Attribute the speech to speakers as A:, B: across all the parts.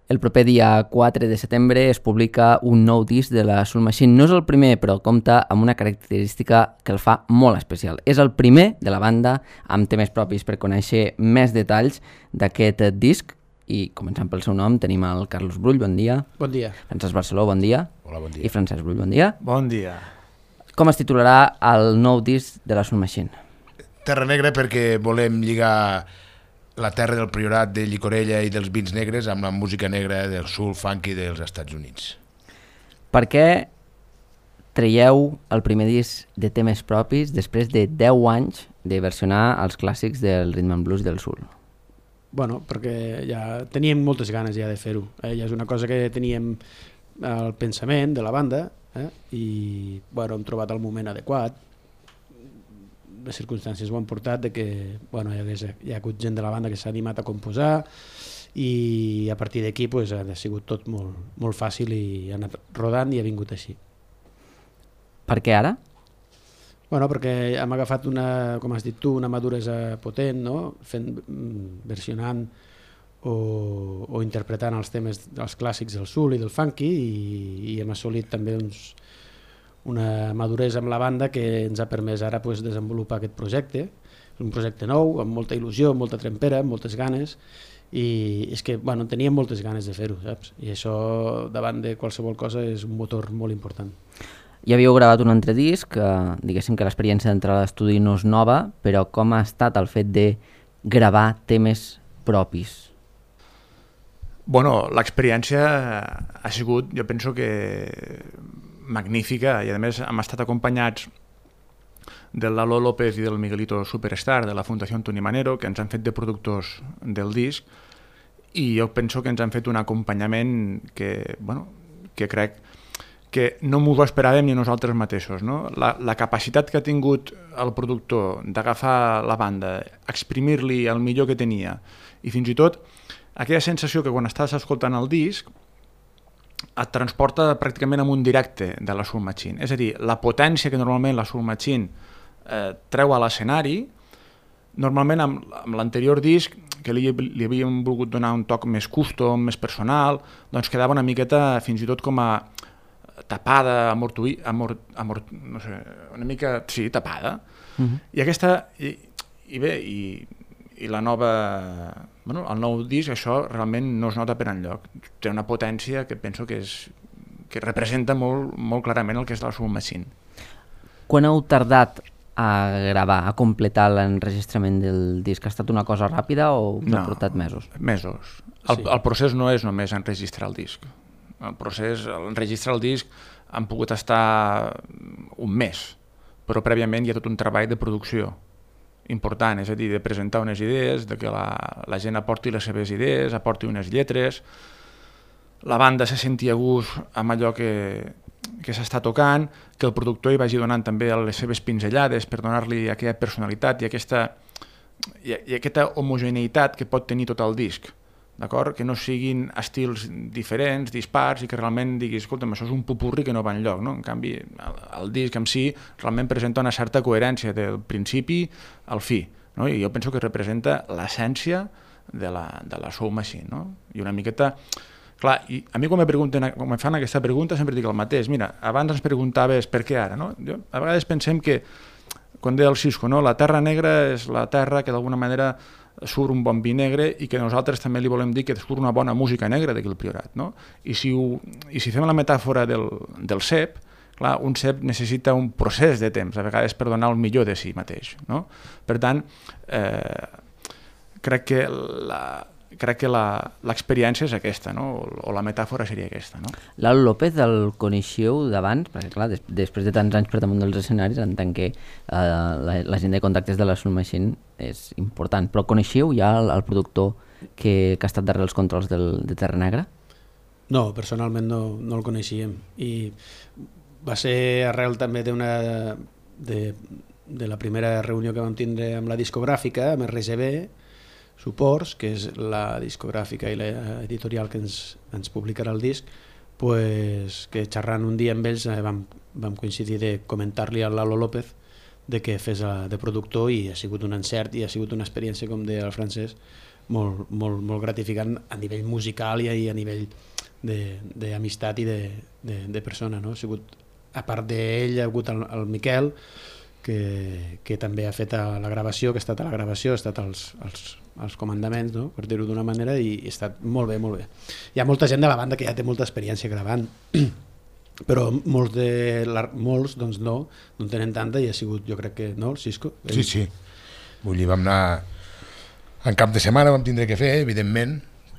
A: El proper dia 4 de setembre es publica un nou disc de la Soul Machine. No és el primer, però compta amb una característica que el fa molt especial. És el primer de la banda amb temes propis. Per conèixer més detalls d'aquest disc, i començant pel seu nom, tenim el Carlos Brull, bon dia.
B: Bon dia.
A: Francesc Barceló, bon dia.
C: Hola, bon dia.
A: I Francesc Brull, bon dia.
C: Bon dia.
A: Com es titularà el nou disc de la Soul Machine?
C: Terra Negra, perquè volem lligar la terra del Priorat, de Llicorella i dels vins negres amb la música negra del soul funky dels Estats Units.
A: Per què traieu el primer disc de temes propis després de 10 anys de versionar els clàssics del rhythm and blues del soul?
B: Bueno, perquè ja teníem moltes ganes ja de fer-ho. Ja és una cosa que teníem al pensament de la banda i bueno, hem trobat el moment adequat. Les circumstàncies ho han portat de que bueno, hi ha hagut gent de la banda que s'ha animat a composar i a partir d'aquí pues, ha sigut tot molt fàcil i ha anat rodant i ha vingut així.
A: Per què ara?
B: Bueno, perquè hem agafat com has dit tu, una maduresa potent, no? Versionant o interpretant els temes dels clàssics del soul i del funky i hem assolit també una maduresa amb la banda que ens ha permès ara pues, desenvolupar aquest projecte. És un projecte nou, amb molta il·lusió, amb molta trempera, amb moltes ganes i és que bueno, teníem moltes ganes de fer-ho, saps? I això davant de qualsevol cosa és un motor molt important.
A: Ja havíeu gravat un altre disc, diguéssim que l'experiència d'entrar a l'estudi no és nova, però com ha estat el fet de gravar temes propis?
D: Bueno, l'experiència ha sigut, jo penso que magnífica, i a més hem estat acompanyats del Lalo López i del Miguelito Superstar de la Fundació Antoni Manero, que ens han fet de productors del disc, i jo penso que ens han fet un acompanyament que, bueno, que crec que no m'ho esperàvem ni nosaltres mateixos, no? La capacitat que ha tingut el productor d'agafar la banda, exprimir-li el millor que tenia, i fins i tot aquella sensació que quan estàs escoltant el disc et transporta pràcticament en un directe de la Soul Machine. És a dir, la potència que normalment la Soul Machine treu a l'escenari, normalment amb l'anterior disc, que li havíem volgut donar un toc més custom, més personal, doncs quedava una miqueta fins i tot com a tapada, no sé, una mica, sí, tapada. I aquesta, i la nova, bueno, el nou disc, això realment no es nota per enlloc. Té una potència que penso que representa molt clarament el que és la Soul Machine.
A: Quan heu tardat a gravar, a completar l'enregistrament del disc? Ha estat una cosa ràpida o ha portat mesos?
D: Mesos. El procés no és només enregistrar el disc. El procés, enregistrar el disc han pogut estar un mes, però prèviament hi ha tot un treball de producció important, és a dir, de presentar unes idees, de que la gent aporti les seves idees, aporti unes lletres, la banda se senti a gust amb allò que s'està tocant, que el productor hi vagi donant també les seves pinzellades per donar-li aquella personalitat i aquesta homogeneïtat que pot tenir tot el disc, d'acord? Que no siguin estils diferents, dispars, i que realment diguis, escolta'm, això és un popurri que no va enlloc, no? En canvi, el disc en si realment presenta una certa coherència del principi al fi, no? I jo penso que representa l'essència de la Soul Machine, no? I una miqueta... Clar, i a mi quan me fan aquesta pregunta sempre dic el mateix. Mira, abans ens preguntaves per què ara, no? A vegades pensem que, quan deia el Cisco, no? La terra negra és la terra que d'alguna manera surt un bon vi negre i que nosaltres també li volem dir que surt una bona música negra d'aquí al Priorat, no? I si fem la metàfora del cep, clar, un cep necessita un procés de temps, a vegades per donar el millor de si mateix, no? Per tant, crec que l'experiència és aquesta, no? O la metàfora seria aquesta, no?
A: Lalo López el coneixeu d'abans? Perquè clar, després de tants anys per damunt dels escenaris, en tant que la gent de contactes de la Soul Machine és important, però coneixeu ja el productor que ha estat darrere els controls de Terra Negra?
B: No, personalment no el coneixíem, i va ser arrel també de la primera reunió que vam tindre amb la discogràfica, amb RGB Suports, que és la discogràfica i l'editorial que ens publicarà el disc, pues, que xerrant un dia amb ells vam coincidir de comentar-li al Lalo López de que fes de productor, i ha sigut un encert i ha sigut una experiència, com deia el Francesc, molt gratificant a nivell musical i a nivell d'amistat i de persona, no? Ha sigut, a part d'ell, ha hagut el Miquel, que també ha fet la gravació, que ha estat a la gravació, ha estat als comandaments, no? Per dir-ho d'una manera, i ha estat molt bé, molt bé. Hi ha molta gent de la banda que ja té molta experiència gravant, però molts doncs no tenen tanta, i ha sigut, jo crec que, no, el Cisco?
C: Sí. Vull dir, vam anar en cap de setmana, vam tindre que fer, evidentment,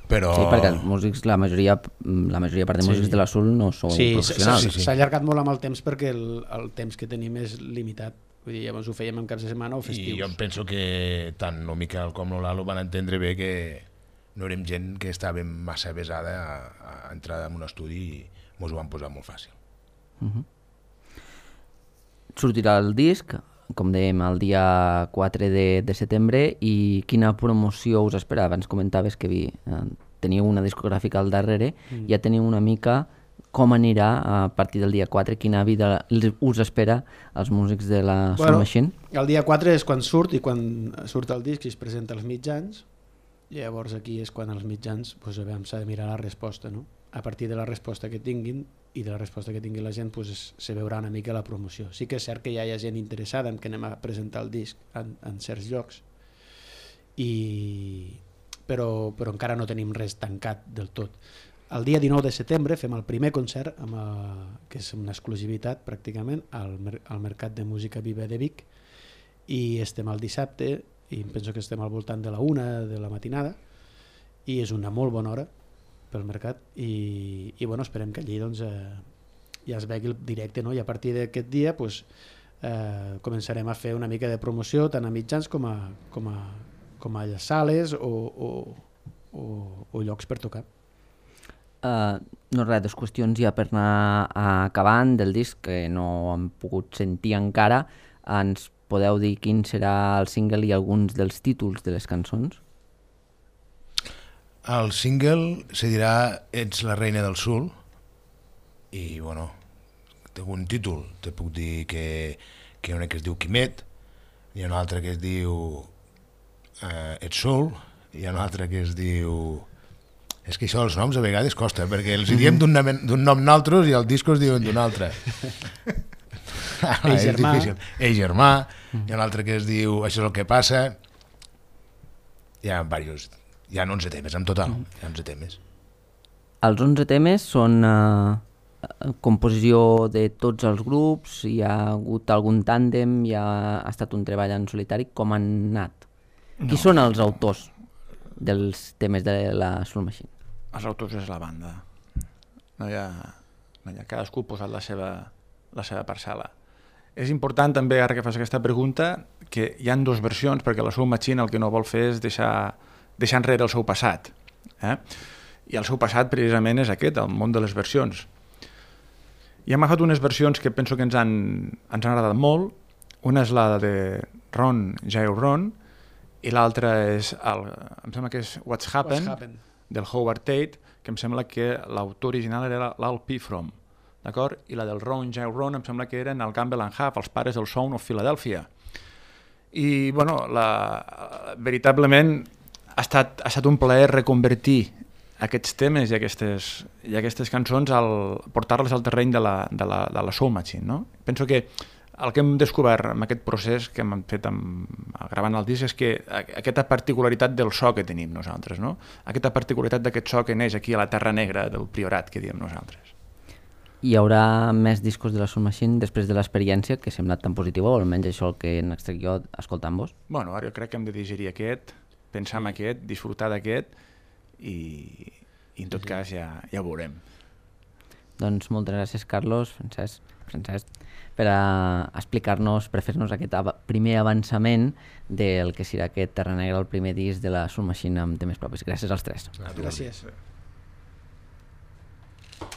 C: però...
A: Sí, perquè els músics, la majoria part de músics de l'Azul no són professionals.
B: S'ha allargat molt amb el temps perquè el temps que tenim és limitat. Vull dir, llavors ho fèiem en caps de setmana o festius.
C: I jo penso que tant el Miquel com el Lalo van entendre bé que no érem gent que estava massa avesada a entrar en un estudi i ens ho van posar molt fàcil.
A: Sortirà el disc, com dèiem, el dia 4 de setembre, i quina promoció us espera? Abans comentaves que teniu una discogràfica al darrere, ja teniu una mica com anirà a partir del dia 4, quina vida us espera als músics de la Soul Machine?
B: El dia 4 és quan surt, i quan surt el disc i es presenta als mitjans, llavors aquí és quan els mitjans s'ha de mirar la resposta, no? A partir de la resposta que tinguin i de la resposta que tingui la gent se veurà una mica la promoció. Sí que és cert que ja hi ha gent interessada en que anem a presentar el disc en certs llocs, però encara no tenim res tancat del tot. El dia 19 de setembre fem el primer concert, que és una exclusivitat pràcticament, al Mercat de Música Viva de Vic, i estem el dissabte, i penso que estem al voltant de la 1 de la matinada, i és una molt bona hora pel mercat, i esperem que allí ja es vegi el directe, no? I a partir d'aquest dia començarem a fer una mica de promoció tant a mitjans com a sales o llocs per tocar.
A: No res, 2 qüestions ja per anar acabant del disc que no hem pogut sentir encara. Ens podeu dir quin serà el single i alguns dels títols de les cançons?
C: El single se dirà Ets la reina del sul, i té un títol, te puc dir que hi ha una que es diu Quimet, hi ha una altra que es diu Ets sul, hi ha una altra que es diu... És que això, els noms a vegades costa, perquè els diem d'un nom naltros i el disco es diuen d'un altre.
B: Ei germà.
C: Ei germà, hi ha un altre que es diu Això és el que passa. Hi ha diversos, hi ha 11 temes en total, hi ha 11 temes.
A: Els 11 temes són composició de tots els grups, hi ha hagut algun tàndem, hi ha estat un treball en solitari, com han anat? Qui són els autors dels temes de la Soul Machine?
D: Els autors és la banda. No hi ha cadascú ha posat la seva parcel·la. És important també, ara que fas aquesta pregunta, que hi ha 2 versions, perquè la Soul Machine el que no vol fer és deixar enrere el seu passat. I el seu passat precisament és aquest, el món de les versions. I hem agafat unes versions que penso que ens han agradat molt. Una és la de Ron Jail Ron, i l'altra és, em sembla que és What's Happened, del Howard Tate, que em sembla que l'autor original era l'Al Pifrom, d'acord? I la del Ron Jail Ron em sembla que eren el Campbell and Huff, els pares del Sound of Philadelphia. I, veritablement ha estat un plaer reconvertir aquests temes i aquestes cançons, portar-les al terreny de la Soul Machine, no? Penso que el que hem descobert amb aquest procés que hem fet gravant el disc és que aquesta particularitat del so que tenim nosaltres, no? Aquesta particularitat d'aquest so que neix aquí a la Terra Negra del Priorat, que diem nosaltres.
A: Hi haurà més discos de la Soul Machine després de l'experiència que ha semblat tan positiva, o almenys això el que en extrec jo escoltant-vos?
D: Ara jo crec que hem de digerir aquest, pensar en aquest, disfrutar d'aquest i en tot cas ja ho veurem.
A: Doncs moltes gràcies, Carlos, Francesc, per explicar-nos, per fer-nos aquest primer avançament del que serà aquest Terra Negra, el primer disc de la Soul Machine amb temes propis. Gràcies als 3.
B: Gràcies.